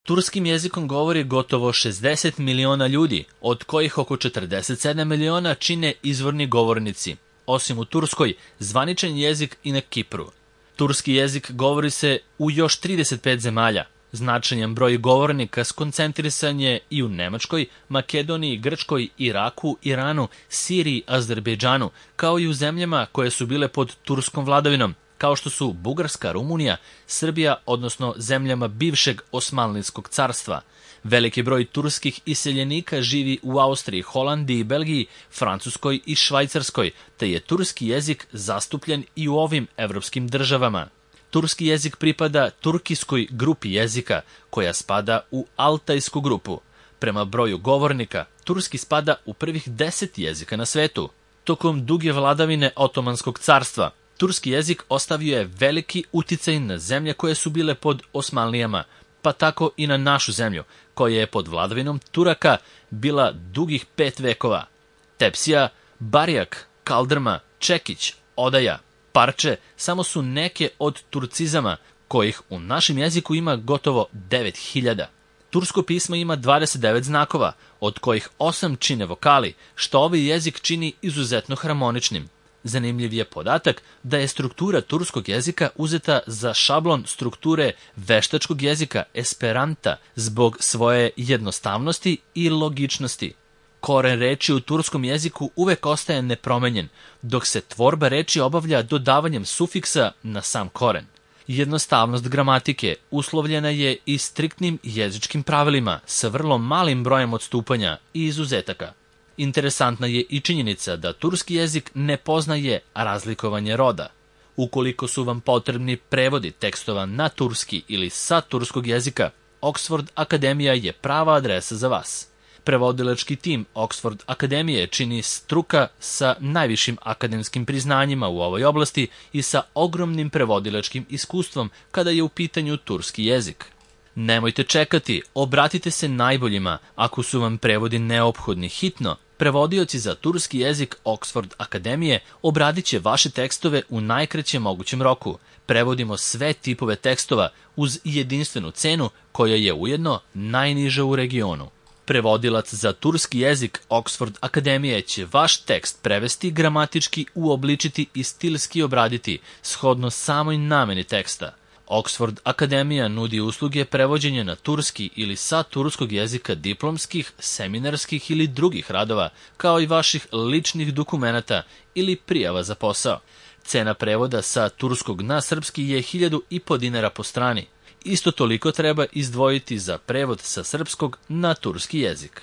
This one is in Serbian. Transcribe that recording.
Turskim jezikom govori gotovo 60 miliona ljudi, od kojih oko 47 miliona čine izvorni govornici, osim u Turskoj, zvaničan jezik i na Kipru. Turski jezik govori se u još 35 zemalja. Značajan broj govornika skoncentrisan je i u Nemačkoj, Makedoniji, Grčkoj, Iraku, Iranu, Siriji, Azerbejdžanu, kao i u zemljama koje su bile pod turskom vladavinom, kao što su Bugarska, Rumunija, Srbija, odnosno zemljama bivšeg Osmanlijskog carstva. Veliki broj turskih iseljenika živi u Austriji, Holandiji, Belgiji, Francuskoj i Švajcarskoj, te je turski jezik zastupljen i u ovim evropskim državama. Turski jezik pripada turkijskoj grupi jezika, koja spada u altajsku grupu. Prema broju govornika, turski spada u prvih 10 jezika na svetu. Tokom duge vladavine Otomanskog carstva, turski jezik ostavio je veliki uticaj na zemlje koje su bile pod Osmanlijama, pa tako i na našu zemlju, koja je pod vladavinom Turaka bila dugih 5 vekova. Tepsija, Barjak, Kaldrma, Čekić, Odaja, Parče samo su neke od turcizama, kojih u našem jeziku ima gotovo 9000. Tursko pismo ima 29 znakova, od kojih 8 čine vokali, što ovaj jezik čini izuzetno harmoničnim. Zanimljiv je podatak da je struktura turskog jezika uzeta za šablon strukture veštačkog jezika Esperanta zbog svoje jednostavnosti i logičnosti. Koren reči u turskom jeziku uvek ostaje nepromenjen, dok se tvorba reči obavlja dodavanjem sufiksa na sam koren. Jednostavnost gramatike uslovljena je i striktnim jezičkim pravilima sa vrlo malim brojem odstupanja i izuzetaka. Interesantna je i činjenica da turski jezik ne poznaje razlikovanje roda. Ukoliko su vam potrebni prevodi tekstova na turski ili sa turskog jezika, Oxford Akademija je prava adresa za vas. Prevodilački tim Oxford Akademije čini struka sa najvišim akademskim priznanjima u ovoj oblasti i sa ogromnim prevodilačkim iskustvom kada je u pitanju turski jezik. Nemojte čekati, obratite se najboljima ako su vam prevodi neophodni hitno. Prevodioci za turski jezik Oxford Akademije obradit će vaše tekstove u najkraćem mogućem roku. Prevodimo sve tipove tekstova uz jedinstvenu cenu koja je ujedno najniža u regionu. Prevodilac za turski jezik Oxford Akademije će vaš tekst prevesti, gramatički uobličiti i stilski obraditi, shodno samoj nameni teksta. Oxford Akademija nudi usluge prevođenja na turski ili sa turskog jezika diplomskih, seminarskih ili drugih radova, kao i vaših ličnih dokumenata ili prijava za posao. Cena prevoda sa turskog na srpski je 1.500 dinara po strani. Isto toliko treba izdvojiti za prevod sa srpskog na turski jezik.